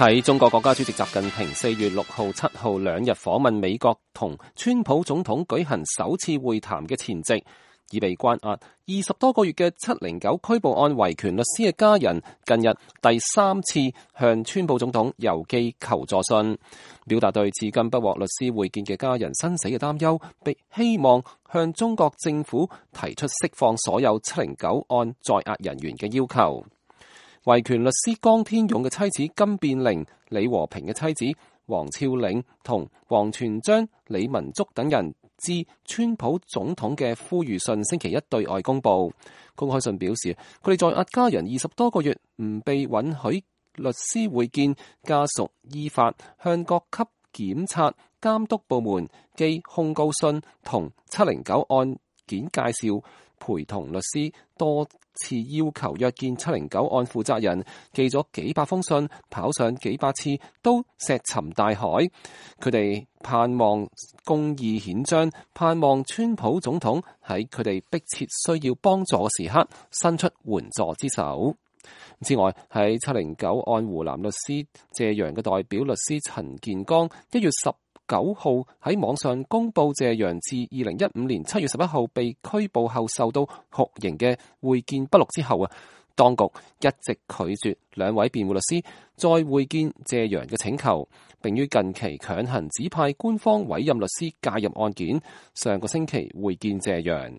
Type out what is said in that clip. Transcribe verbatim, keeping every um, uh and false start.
喺中國國家主席習近平四月六號、七號兩日訪問美國同川普總統舉行首次會談嘅前夕，已被關押二十多個月嘅七零九拘捕案維權律師嘅家人，近日第三次向川普總統郵寄求助信，表達對至今不獲律師會見嘅家人生死嘅擔憂，並希望向中國政府提出釋放所有七零九案在押人員嘅要求。維權律師江天勇嘅妻子金變玲、李和平嘅妻子黃峭嶺同王全璋、李文竹等人致川普總統嘅呼籲信，星期一對外公佈。公開信表示，佢哋在押家人二十多個月唔被允許律師會見，家屬依法向各級檢察監督部門寄控告信同七零九案件介紹，陪同律師多次要求約見七零九案負責人，寄咗幾百封信，跑上幾百次，都石沉大海。佢哋盼望公義顯彰，盼望川普總統喺佢哋迫切需要幫助嘅時刻伸出援助之手。之外，喺七零九案湖南律師謝陽嘅代表律師陳建剛一月十九號喺網上公布謝陽自二零一五年七月十一號被拘捕後受到酷刑嘅會見筆錄之後啊，當局一直拒絕兩位辯護律師再會見謝陽嘅請求，並於近期強行指派官方委任律師介入案件，上個星期會見謝陽。